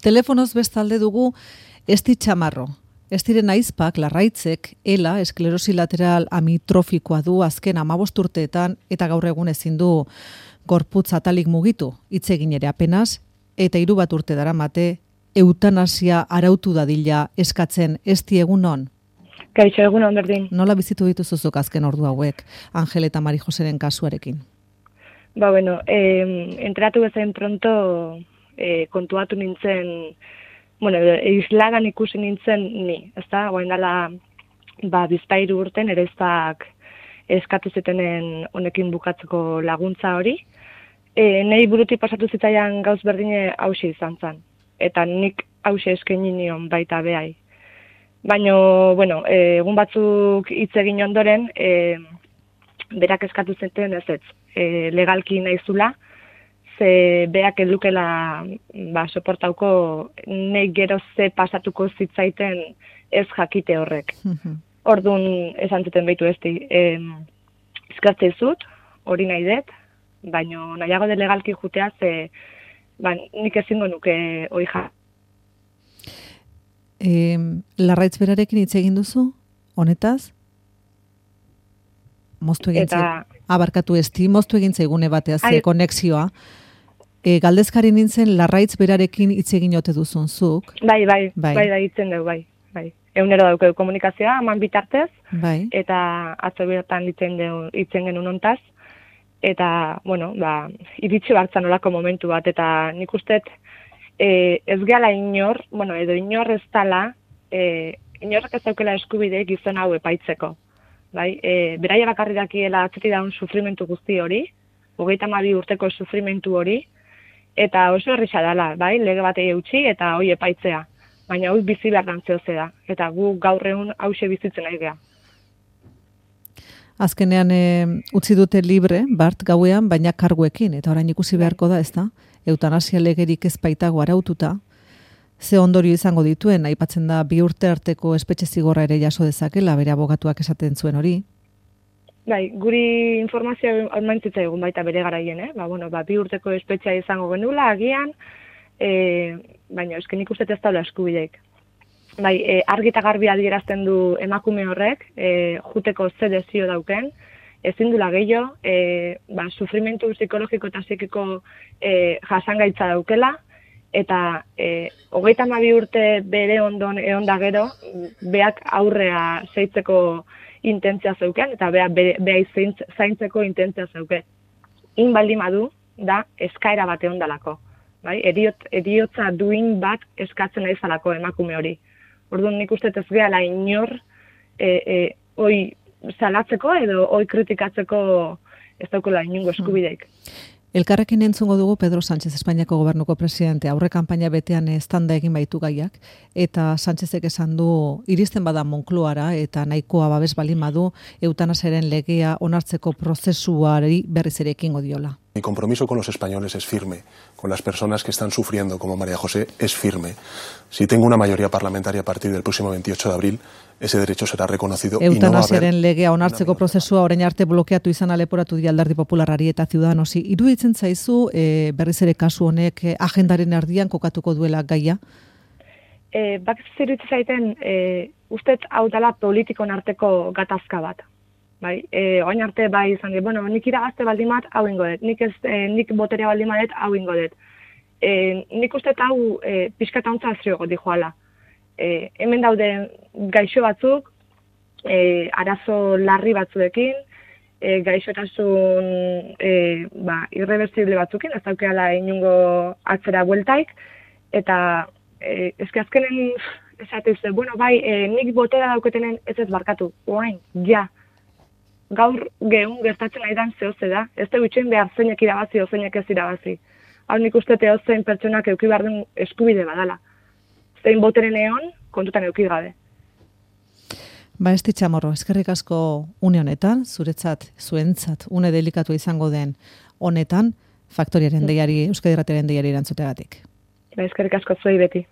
Telefonoz bestalde dugu Esti Txamarro. Estiren aizpak, larraitzek, ELA, esklerosi lateral amitrofikoa du azken 15 urteetan eta gaur egun ezin du gorputz atalik mugitu, hitz egin ere apenas, eta 3 urte daramate eutanasia arautu dadila eskatzen. Esti, egunon? Kaixo, egunon berdin. Nola bizitu dituzuzuk azken ordu hauek, Angel eta Mari Joseren kasuarekin? Entratu bezain pronto kontuatu nintzen, islagan ikusi nintzen ni, ezta? Goain dela, bizpairu urten ere eskatu zitenen honekin bukatzeko laguntza hori. Nei burutik pasatu zitzaian gauz berdine hauxe izan zen. Eta nik hauxe eskaini nion baita behai. Baina, egun batzuk hitz egin ondoren, berak eskatu zenten ez, legalki naizula, ze beak edukela soportauko nahi gero ze pasatuko zitzaiten ez jakite horrek. Orduan esan zuten behitu esti, eskartzei zut, hori nahi dut, baina nahiago de legalki jutea ze nik ezingo nuke hori ja. Larraitz berarekin hitz egin duzu, honetaz? Moztu egin abarkatu Esti, moztu egin zaigune batea ze konexioa. Galdezkari nintzen Larraitz berarekin hitz egin ote duzun zuk. Bai, hitzen dugu, bai. Egunero daukeu komunikazioa, eman bitartez, eta atzo bertan hitzen genuen hontaz. Eta, iritsi bartzan olako momentu bat, eta nik usteet ez gehala inor, edo inor ez tala, inorrek ez daukela eskubide gizon hau epaitzeko. Beraia bakarri dakiela atzeti daun sufrimentu guzti hori, 32 urteko sufrimentu hori, eta oso errisa dela, lege batei eutxi eta hoi epaitzea. Baina hau bizi behar dantzeo da, eta gu gaur egun hause bizitzen nahi geha. Azkenean utzi dute libre, Bart, gauean, baina karguekin, eta orain ikusi beharko da, ez da? Eutanasia legerik ez baitago araututa, ze ondorio izango dituen, aipatzen da 2 urte arteko espetxe zigorra ere jaso dezakela, bere abogatuak esaten zuen hori. Guri informazioa ormaintzitza egun baita bere garaien, 2 urteko espetxea izango genula, agian, baina esken ikustet ez daula eskubideik. Argi eta garbi adierazten du emakume horrek, juteko ze desio dauken, ezin dula gehiago, sufrimentu psikologiko eta psikiko jasangaitza daukela, eta 32 urte bere ondon egon da gero, beak aurrea zeitzeko intentzia zeuken, eta beha zaintzeko intentzia zeuken. Baldin badu, da eskaera bat egon dalako. Eriotza duin bat eskatzen nahi zalako emakume hori. Orduan nik uste ez gehala inor hoi salatzeko edo hoi kritikatzeko ez daukela inungo eskubideik. Elkarrekin entzungo dugu Pedro Sánchez, Espainiako gobernuko presidente, aurre kanpaina betean estanda egin baitu gaiak, eta Sánchezek esan du iristen bada Moncloara eta nahikoa babes balin badu eutanasiaren legea onartzeko prozesuari berriz ere ekingo diola. Mi compromiso con los españoles es firme, con las personas que están sufriendo como María José es firme. Si tengo una mayoría parlamentaria a partir del próximo 28 de abril, ese derecho será reconocido. Eutanasiaren legea onartzeko prozesua orain arte blokeatu izan leporatu die Alderdi Popularrari eta Ciudadanosi. Iruditzen zaizu berriz ere kasu honek agendaren erdian kokatuko duela gaia? Iruditzen zaiten, ustez hau dela politikon arteko gatazka bat. Oain arte izan dut, nik iragazte baldin bat, hau ingo dut, nik boterea baldin bat, hau ingo dut. Nik uste hau pixkata ontza azriogo dijoala. Hemen daude gaixo batzuk, arazo larri batzuekin, gaixotasun irreversible batzukin, ez daukeala inungo atzera bueltaik, eta azkenen esatez, nik botera dauketenen ez barkatu, oain, ja. Gaur geun gertatzen nahi dan zehose da. Ez da bitxen behar zeinek irabazi o zeinek ez irabazi. Hau nik uste zein pertsonak euki behar den eskubide badala. Zein boteren egon, kontutan euki gabe. Esti Txamorro, eskerrik asko une honetan, zuentzat, une delikatu izango den honetan, Faktoriaren deiari, Euskadi Irratiaren deiari erantzutegatik. Eskerrik asko zuei beti.